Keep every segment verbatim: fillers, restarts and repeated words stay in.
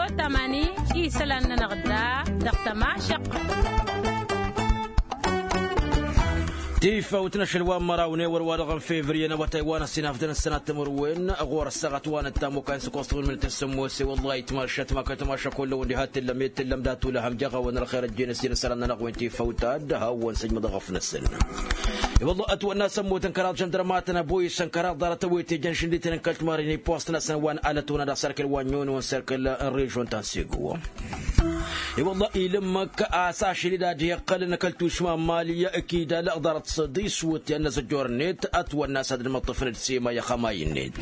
Otamani isălan-nănăɣ da dăɣ-tămašăq. Tifawt n-ašăl wa n-măraw n-ewăr wa dăɣ-n fevriye n-awătay wa n-ăssinafdăn ǝssănat timǝrwen ɣur-ăssaɣăt wa n-ăttam okayăn s-ăkoẓ-tăwăn mǝnǝt n-sǝmmos i-wăllah itmašăt ma kăl-tamašăk hullan wen diha t-illăm i t-illăm dat-ulăhăm jaɣ-awăn ălxer ăjjeen ăssin ăsălan-nănăɣ wen tifawt ad-hawăn sǝjmăḍ ăɣăf-năsăn. I-wăllah ătwănna s-ămmut n-kăraḍ žăndărmatăn ăboyǝs n-kăraḍ ḍarăt ăwwet ejăn šǝndităn n-kăl-timarren i-post-năsăn wa n-alăt-tăwăn ad-dăɣ-sărkǝl wa n-nyon-nyon sărkǝl n-režon ta n-sego. I-wăllah ilǝmmăk a-s ašăl-i d-ad-iqqălăn kăl-tušma n-mali kidal ḍarăt săḍis wǝtyan n-azăjjor-net ătwănna a-s ad-dd-măṭṭăfăn d-sema i-axămay-net.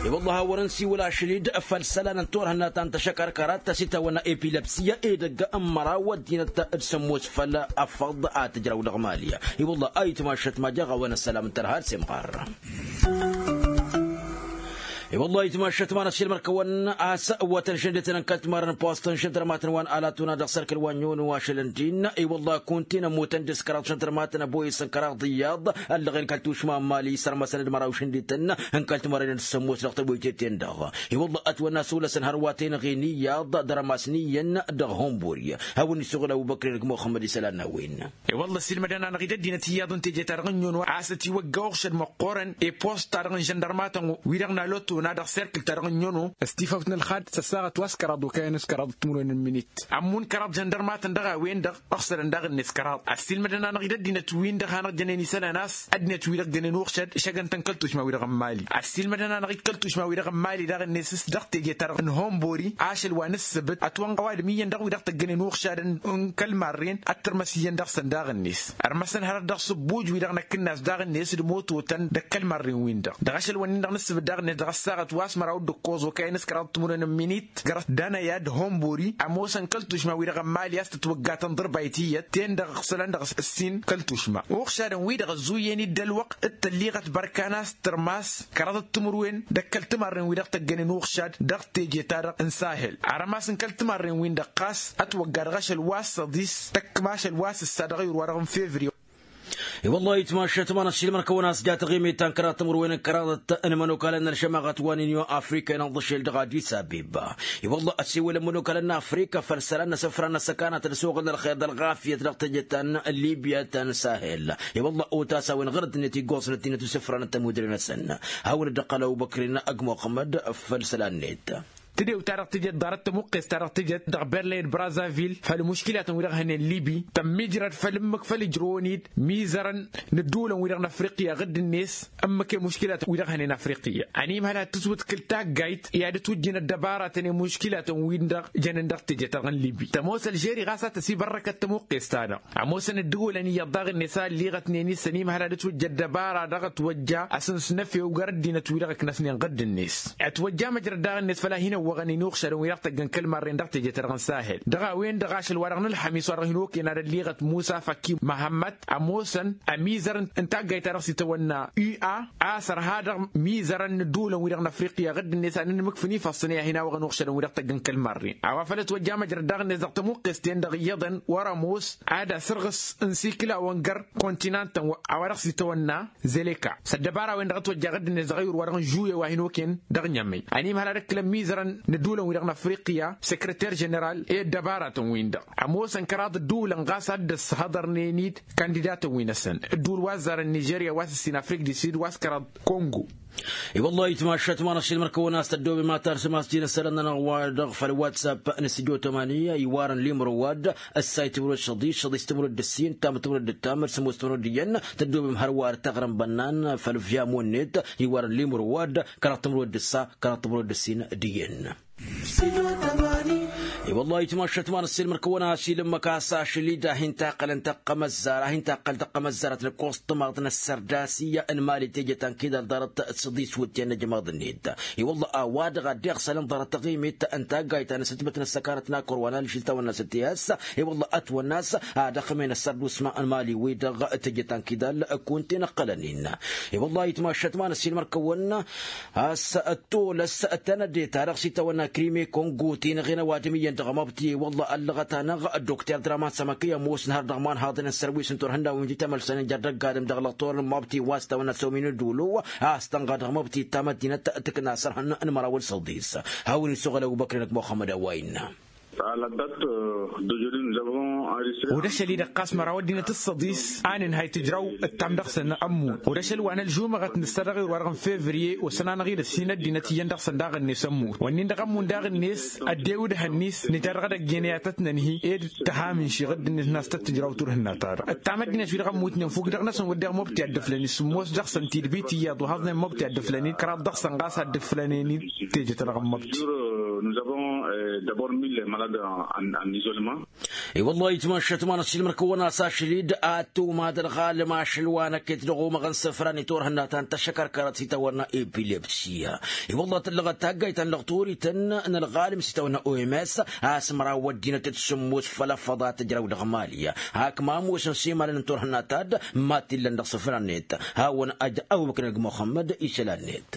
I-wăllah a wăr-nǝsiwǝl ašăl-i d-făll-isălan n-turhǝnna ta n-tăšăkărkărat ta s-itawănna epilăpsiya edăgg n-măraw ăddinăt d-sămmos făll-afăḍ a tǝjrăw dăɣ-mali. I-wăllah a itmašăt ma jaɣ-awăn ăssălam n-tărha d-semɣar. I-wăllah itmašăt ma n-ăššilmăr-kăwăn a-s ăwwătăn šăndetăn n-kăl-timarăn n-post n-žăndărmatăn wa n-alatuna dăɣ-sărkăl wa n-yonu ašăl n-din. I-wăllah kuntin ămmutăn dăɣ-s kăraḍ žăndărmatăn ăboyǝs n-kăraḍ iyyăḍ ăllăɣen kăl-tušma n-mali sărmăsăn d-măraw šăndetăn n-kăl-timarăn d-sămmos dăɣ-tăboytet-en-dăɣ. I-wăllah ătwănna s-olăsăn hărwa tenăɣe n-iyyăḍ dăr-ămas n-iyyăn dăɣ-honbori. Hawăn-isuɣǝl ăbubăkr d-muxămmăd isălan n-a-wen. I-wălla ăssiilmădăn-anăɣ-dd ăddinăt iyyăḍ n-teje-ta-dăɣ n-nyono a-s ătiwăgga uɣšăd măqqoorăn i-post-ta-dăɣ n-žăndărmatăn-wi-dăɣ n-alătona dăɣ-serkǝl-ta-dăɣ n-nyono. S-tifawt n-ălxad s-ăssaɣăt wa s-kăraḍ okăyăn s-kăraḍ timǝrwen n-minit ămmun kăraḍ žăndărmatăn dăɣ-a-wen-dăɣ. Ăɣsălăn daɣ-net kăraḍ ăssiilmădăn-anăɣ-dd ăddinăt-win-dăɣ hanăɣ-jănen isălan a-s ăddinăt-wi-dăɣ jănen uɣšăd šăgăn-tăn kăl-tušma-wi-dăɣ n-mali. Ăssiilmădăn-anăɣ-dd kăl-tušma-wi-dăɣ n-mali daɣ-net s-dăɣ teje-ta-dăɣ n-honbori ašăl wa n-ǝssǝbǝt ătwănɣăw ad-ǝmǝyyăn dăɣ-wi-dăɣ tăggănen uɣšadăn n-kăl-marren ad-tărmăs iyyăn dăɣ-săn daɣ-net. Ărmăsăn hărăt dăɣ-sǝbbuj-wi-dăɣ năkkǝnnas daɣ-net d-imototăn d-ăkk ălmarren-win-dăɣ dăɣ-ašăl-wăn-in-dăɣ n-ǝssǝbǝt daɣ-net dăɣ-ăssaɣăt wa s-măraw d-ǝkkoẓ okăyăn s-kăraḍ timǝrwen n-minit gărăt danăya d-honbori ămoosăn kăl-tušma-wi-dăɣ n-mali a-s tǝtwăgga tănḍărbay tiyyăt ten-dăɣ ǝɣsălăn dăɣ-s ǝssin kăl-tušma uɣšadăn-wi-dăɣ ăzzuyyăn-dd ălwăqq d-tălliɣăt bărkan a-s tărmas kăraḍăt timǝrwen d-ăkk ăltimarren-wi-dăɣ tăggănen uɣšad dăɣ-teje-ta-dăɣ n-sahel. Arămas n-kăl-timarren-win-dăɣ ɣas ătwăgga dăɣ-ašăl wa s-săḍis tăkkăm ašăl wa s-ǝssa dăɣ-ayǝr-wa-dăɣ n-fevriye. I-wăllah itmašăt ma n-ăššilmăr-kăwăn a-s ja taɣimit ta n-kăraḍ timǝrwen n-kăraḍăt n-imănokalăn n-ălšămaɣăt wa n-inyon afrika inăḍḍăšel dăɣ-adis abeba. I-wăllah ăsewălăn imănokalăn n-afrika făll-isălan n-asǝfra n-ăssăkanăt d-asuɣǝl n-ălxer d-ălɣafyăt dăɣ-teje ta n-libya ta n-sahel. I-wăllah otas a-wen ɣur-ăddinăt iggoẓăn ăddinăt usǝfran n-tămudre-năsăn. Hawăn-dd-ăqqăl ăbubăkrin ăgg muxămmăd făll-isălan-net. Tǝdew-ta-dăɣ tǝjăt ḍarăt tămuqqest-ta-dăɣ tǝjăt dăɣ-berlăy d-brazavil făll-imuškilatăn-wi-dăɣ hănen libi tămmiijrăd făll-ǝmmǝk făll-ǝjrăwăn-dd mizărăn n-ădduulăn-wi-dăɣ n-afriqya ɣǝdd-net. Ǝmmǝk i-imuškilatăn-wi-dăɣ hănen afriqya ănimhăl ad-tǝswǝtkǝl taggayt i-ad-ǝtwǝjjǝn ăddăbaratăn i-imuškilatăn-win-dăɣ jănen dăɣ-teje-ta-dăɣ n-libi tămoos ălžeri ɣas a tăsibărrăkăt tămuqqest-ta-dăɣ. Ămoosăn ădduulăn iyyăḍ daɣ-net a ălliiɣătnen-i s-ănimhăl ad-ǝtwǝjj ăddăbara dăɣ-ătwăjja asǝnsǝnăfew gar ăddinăt-wi-dăɣ ǝknăsnen ɣǝdd-net. Ătwăjja măjrăd daɣ-net făl a hin-ăwwăɣăn-in uɣšadăn-wi-dăɣ tăggăn kăl-marren dăɣ-teje-ta-dăɣ n-sahel dăɣ-a-wen-dăɣ ašăl-wa-dăɣ n-ălxămis wa dăɣ-hin-okăyăn ad-ălliiɣăt musa făkki măhămmăt ămoosăn ămizăr n-taggayt-ta-dăɣ s-itawănna ua a-s ărha dăɣ-mizărăn n-ădduulăn-wi-dăɣ n-afriqya ɣǝdd-net ad-nǝnmǝkfǝn ifassăn i-ad-hin-awăɣăn uɣšadăn-wi-dăɣ tăggăn kăl-marren a-wa făl ătwăjja măjrăd daɣ-net dăɣ-tămuqqest-ten-dăɣ iyyăḍăn wăr-ămoos ad-asărɣǝs n-isikǝlawăn găr kontinantăn a-wa dăɣ-s itawănna zeleka s-ăddăbara-wen-dăɣ ătwăjja ɣǝdd-net dăɣ-ayǝr-wa-dăɣ n-žuye wa hin-okăyăn dăɣ-ɲămăy. Ănimhăl ad-ǝkkǝlăn mizărăn n-ădduulăn-wi-dăɣ n-afriqya sekreter ženeral i-ăddăbaratăn-win-dăɣ ămoosăn kăraḍ ădduulăn ɣas ad-dd-ăsshăḍărnen-dd kandidatăn-wi-năsăn ădduul wa ăzzarăn nižerya wa s-ǝssin afrik di sid wa s-kăraḍ kongo. I-wăllah itmašat ma n-ašilmăr-kăwăn a-s tăddoobem ad-tarsǝm a-s jinăssălăn-nănăɣ wa dăɣ-făll-whatsapp n-sǝjo tămani iwarăn limro wa-dd ǝssay timǝrwed šăḍiš šăḍiš timǝrwed d-ǝssin tam timǝrwed d-ǝttam d-sămoos timǝrwed d-iyyăn. Tăddoobem hărwa ad-taɣrǝm bănnan făll-viyamon-net iwarăn limro wa-dd kăraḍ timǝrwed d-ǝssa kăraḍ timǝrwed d-ǝssin d-iyyăn. I-wăllah itmašat ma n-ašilmăr-kăwăn a-s ilǝmmăk a-s ašăl-i d-ahin-taqqălăn tăqqămăzzar ahin-taqqăl tăqqămăzzarăt n-ǝkkoẓ tămaḍt n-ăssărdasiya n-mali teje ta n-kidal ḍarăt săḍis wǝtyan n-ajmaḍ-net. I-wălla a-wa-dăɣ a dd-iɣsălăn ḍarăt taɣimit n-taggayt ta n-asǝtbăt n-ăssăkanăt n-akăr wa n-alžil ta wănna s-ăttihăs. I-wălla ătwănna a-s ad-ăxmen ăssărdušma n-mali-wi-dăɣ teje ta n-kidal kunta-in ǝqqălăn-in. I-wălla itmašat ma n-ašilmăr-kăwăn a-s ăttolăs tănăde-ta-dăɣ s-itawănna krime kongo ti n-aɣen ăwadǝm iyyăn Dăɣ-măbti wălla ăllăɣăt-anăɣ ăddokter draman sămăkăy ămoosăn har dăɣ-imanhaḍăn n-sărwisăn turhǝnnawen wi tămălsănen jer-dăgg-adǝm dăɣ-lăqtor n-măbti wa s-tawănna săw-minǝd ulu a-s tănɣa dăɣ-măbti ta măddinăt tǝkna sărhăn n-măraw ălsăḍis. Hawăn-isuɣǝl ăbubăkri n-ăgg muxămmăd a-wa innă. Odăšăl-i-dăɣ ɣas măraw ăddinăt ǝssăḍis a nǝnhay tǝjraw ǝttam dăɣ-săn ămmun odăšăl wa n-ălžumăɣăt nǝssa dăɣ-ewăr wa dăɣ-n fevriye osăn-anăɣ-dd ăssin ăddinăt iyyăn dăɣ-săn daɣ-net ămmun wănnin-dăɣ ămmun daɣ-net. Ăddew d-ehăn-net nǝja dăɣ-edăgg-en i-ad-tăt-nănhi ed tăhamǝnšiɣ ăddinăt n-as tăt-tǝjraw turhǝnna-ta-dăɣ ǝttam ăddinăt-wi-dăɣ ămmutnen fukk-dăɣ-năsăn wădden măbti ad-dd-ǝflăn-dd sǝmmos dăɣ-săn tidbit iyyăḍ wa haẓnen măbti ad-dd-ǝflăn-dd kăraḍ dăɣ-săn ɣas ad-dd-ǝflănen-dd teje-ta-dăɣ n-măbti. Ewălla itmašat ma n-ăssiilmăr-kăwăn-as ašăl-dd ad-tǝwmad ălɣalăm ašăl wa n-ăkket dăɣ-omăɣăn săfran i-turhǝnna ta n-tăššăkărkărăt s-itawănna epilepsiya. Ewălla tǝllăɣăt taggayt ta n-lăɣturităn n-ălɣalăm s-itawănna oms a-s măraw ăddinăt d-sǝmmos făll-afăḍa tǝjraw dăɣ-mali. Hak ma ămoosăn s-imalăn n-turhǝnna ta d-mad-t-illăn dăɣ-săfran-net hawăn-ăj ăbubăkr n-ăgg muxămmăd isălan-net.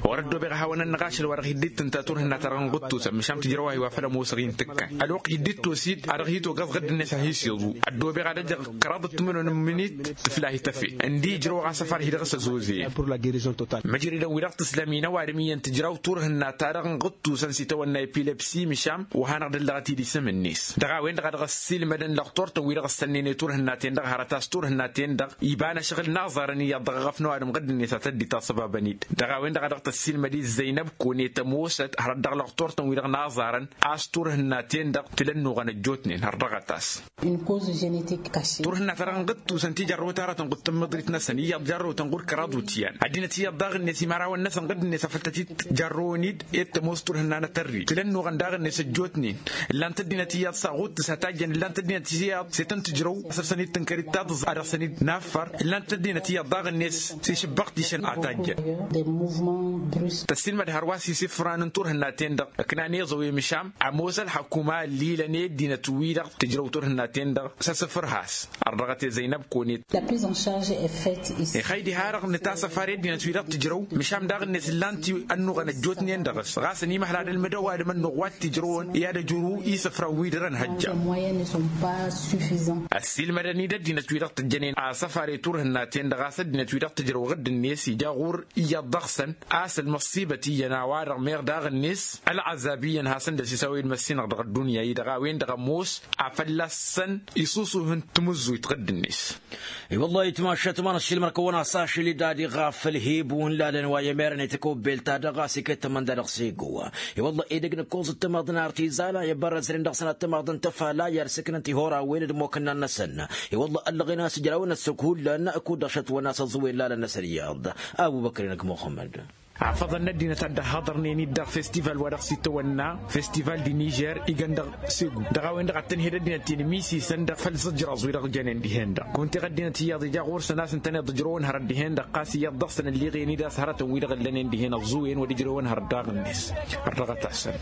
Wăr-ăddoobeɣ a hawăn-ănnăɣ ašăl wa dăɣ-hi dd-tǝnta turhǝnna-ta-dăɣ n-ɣǝttus ămmăšam tǝjrăw a hi-wa făll-ămoosăɣ-i n-tǝkkan ălwăqq hi-dd-tosid a dăɣ-hi-togăẓ ɣǝdd-net a hi-s iẓu. Ăddoobeɣ ad-ăjăɣ kăraḍăt timǝnun n-imǝnit tǝfla hi-tăfe ǝndi ijrăwăɣ asăfar-hi dăɣ-s ăzozăyăn. Măjridăn-wi-dăɣ tǝslăm-in ăwadǝm iyyăn tǝjraw turhǝnna-ta-dăɣ n-ɣǝttusăn s-itawănna epilepsi măšam wa hanăɣ-dd-ăllăɣăt-dd isǝm-net dăɣ-a-wen-dăɣ a dăɣ-ăssiilmădăn lăɣtor-tăn-wi-dăɣ ăssănnen i-turhǝnnaten-dăɣ hărăt a-s turhǝnnaten-dăɣ iba n-ašăɣǝl n-aẓarăn iyyăḍ dăɣ-eɣăf n-ăwadǝm ɣǝdd-net a tăddi tasăbabăn-dd dăɣ-a-wen-dăɣ a dăɣ-tăssiilmăd i-zăynăb kone tămoosăt hărăt dăɣ-lăɣtor-tăn-wi-dăɣ n-aẓarăn a-s turhǝnnaten-dăɣ tǝlănnuɣăn ăjjootnen har dăɣ-ătas. Turhǝnna-ta-dăɣ n-ɣǝttusăn ti jarrăwăt aratăn ɣud tǝmmǝḍrit-năsăn iyyăḍ jarrăwătăn ɣur-kăraḍ utyan ăddinăt iyyăḍ daɣ-net imărawăn-năsăn ɣǝdd-net afăl tăt-dd-jarrăwăn-dd ed tămoos turhǝnna n-atărri tǝlănnuɣăn daɣ-net ăjjootnen. Ǝllan-t ăddinăt iyyăḍ s-aɣuttǝs a tajjăn ǝllan-t ăddinăt iyyăḍ s-e-tăn-tǝjrăw a săr-săn-dd-tǝnkăr d-taḍǝẓ a dăɣ-săn-dd-naffăr ǝllan-t ăddinăt iyyăḍ daɣ-net s-išǝbbăɣ tišăn a tajjăn. Tăssiilmăd hărwa s-isǝfran n-turhǝnnaten-dăɣ ǝknan iẓăw i-măšam ămoos ălxakuma ăllilăn i-ăddinăt-wi-dăɣ tǝjrăw turhǝnnaten-dăɣ s-asǝfǝr has. Ărdăɣăt i-zăynăb konet. Ixăy diha-dăɣ nǝtasăfar i-ăddinăt-wi-dăɣ tǝjrăw măšam daɣ-net ǝllan-t ănnuɣăn ăjjootnen dăɣ-s ɣas ănimăhla d-ălmǝdăw adǝm ănnuɣ wa t-ijrăwăn i-ad-ăjru isǝfran wi dăr-ănhăjja. Ăssiilmădăn-dd ăddinăt-wi-dăɣ tǝjjănen asăfar i-turhǝnnaten-dăɣ a-s ăddinăt-wi-dăɣ tǝjrăw ɣǝdd-net ija ɣur-i iyyăḍ dăɣ-săn a-s ălmăṣṣibăt iyyăn a-wa-dăɣ meɣ daɣ-net ălɣăzab iyyăn hasăn-dd-ăsisawăy d-măssinăɣ dăɣ-ăddunya-i-dăɣ a-wen-dăɣ ămoos afăl a-s săn isusuh n-tamǝzzuyt ɣǝdd-net. I-wălla-hi tmašat ma n-ăššilmăr-kăwăn-as ašăl-i d-ad-iɣaf ălhib-un lalăn wa i-emerăn i-tăkobbelt-ta-dăɣ a-s iket tămănda dăɣ-sego. I-wălla edăgg nǝkkoẓ d-tamăḍt n-artizan a i-bărrăznen dăɣ-săn ad-tamăḍt n-tăfala i-ad-sǝknăn tihorawen d-imokănnan-năsăn. I-wălla ăllăɣen a-s ǝjrawăn ăssok hullan kud-dăɣ šătwăn a-s ăẓẓuwen lalăn-năsăn iyyăḍ. Abubăkri n-ăgg muxămmăd. Afăḍăn n-ăddinăt ad-dd-ăhhaḍărnen-dd dăɣ-festival wa dăɣ-s itawănna festival di nižer igăn dăɣ-segu dăɣ-a-wen-dăɣ ad-tăn-hed ăddinăt-in misisăn dăɣ-făll-zǝjraẓ wi-dăɣ jănen dihen-dăɣ kunta iɣ ăddinăt iyyăḍ ija ɣur-săn a-s ǝntăneḍ ǝjrăwăn hărăt dihen-dăɣ ɣas iyyăḍ dăɣ-săn ălliɣen-dd a-s hărătăn wi-dăɣ ǝllănen dihen ăẓẓuwen wăr ǝjrăwăn hărăt daɣ-net. Ărrăɣăt-asăn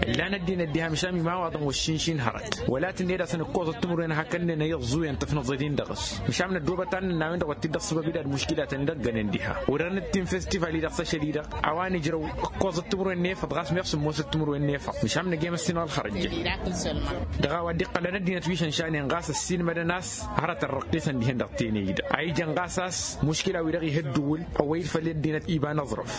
ǝllan ăddinăt diha măšan imawaḍăn wăššinšin hărăt wăla tǝnned a-s ănǝkkoẓăt timǝrwen a hakănnen a iẓẓuwen tǝfnăẓ-ed-in dăɣ-s. Măšan n-ăddoobăt ad-nǝnna a-wen-dăɣ wăr t-dd-ăṣṣăbăb-dd ad-muškila tăn-dd-ăggănen diha. Wăr dăr-nǝttin festival-i-dăɣ s-ašăl-i-dăɣ a-wa nǝjrăw ǝkkoẓăt timǝrwen n-efăḍ ɣas meɣ sǝmmosăt timǝrwen n-efăḍ măšan nǝjemăs-in ălxărăjjăn. Dăɣ-a-wa dd-iqqălăn ăddinăt wi šănšanen ɣas ăssiilmădăn a-s hărătăn răqqisăn dihen-dăɣ teney-dăɣ a ijăn ɣas a-s muškila-wi-dăɣ ih' ǝddǝwǝl ăwwăy-dd făll-ăddinăt iba n-aẓrăf.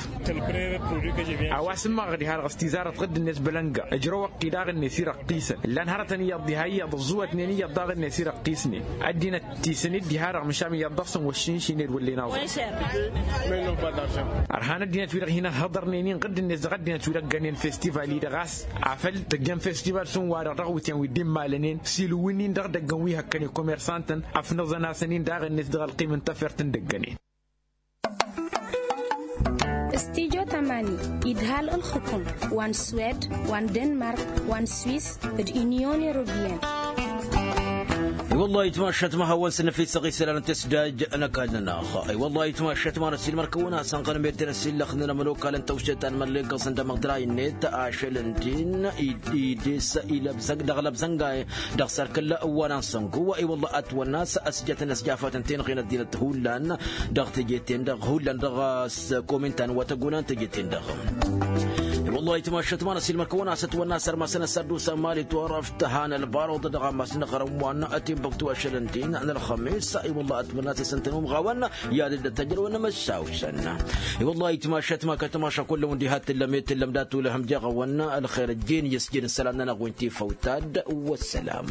A-wa s-ǝmmăɣăɣ diha-dăɣ s-tizarăt ɣǝdd-net bălănga ǝjrăw ăqqi daɣ-net irăqqisăn ǝllan hărătăn iyyăḍ diha iyyăḍ ăẓẓuwătnen iyyăḍ daɣ-net irăqqisnen. Ăddinăt tisăn-dd diha-dăɣ măšan iyyăḍ dăɣ-săn wăššinšin ed wăllen aẓrăf. Ărhan ăddinăt-wi-dăɣ hin-ăhhăḍărnen-in ɣǝdd-net dăɣ-ăddinăt-wi-dăɣ ăggănen festival-i-dăɣ a-s afăl tăjjăn festival s-ǝnwa-dăɣ dăɣ-awǝtyan wi dd-immalănen s-ilǝwǝn-in dăɣ-idăggăn wi hăkkăn i-kumersantăn ăfnăẓăn-asăn-in daɣ-net dăɣ-ălqim n-tafert n-dăggănen. Studyo tamani idhal ǝlxǝkǝm wa n-swed wa n-denmark wa n-swis d-unyon europeyăn. I-wăllah itmašat ma hawăn-săn năfisăɣ isălan n-tăsdaj n-ăkall-nănăɣ. I-wăllah itmašat ma n-ăssiilmăr-kăwăn-asăn ɣănmedden ăsillăxnen ămănokal n-tăwše ta n-mălleggăẓ n-dămăḍray-net ašăl ǝntin ides ilăbzăg dăɣ-lăbzănga dăɣ-sărkăl wa n-ansăngu. I-wăllah ătwănna a-s ǝjătăn ăsjafăt n-tenɣe n-ăddinăt hullan dăɣ-teje-ten-dăɣ hullan dăɣ-s komin ta n-wa tăguna n-teje-ten-dăɣ. Wăllah itmašăt ma n-asilmăr kăwăn-asăt wănna sărmasăn ăssaddusa mali turăft han ălbaruḍ dăɣ-amas n-aɣrămwan. Ătimbăktu ašălăn-t-in n-ălxămis i-wăllah ătmănna-t asăn-tăn-umɣawăn. I-ad-dd-ăttăjrăwăn n-amăssawsăn. I-wăllah itmašăt ma kătmaša kullăwăn diha t-tǝllăm i-tǝllăm dat-ulăhăm jeɣăwăn. Ălxer ăjjeen i-ăsjeen ǝssălan-nănăɣ wi n-tifăw tad. Wăssălam.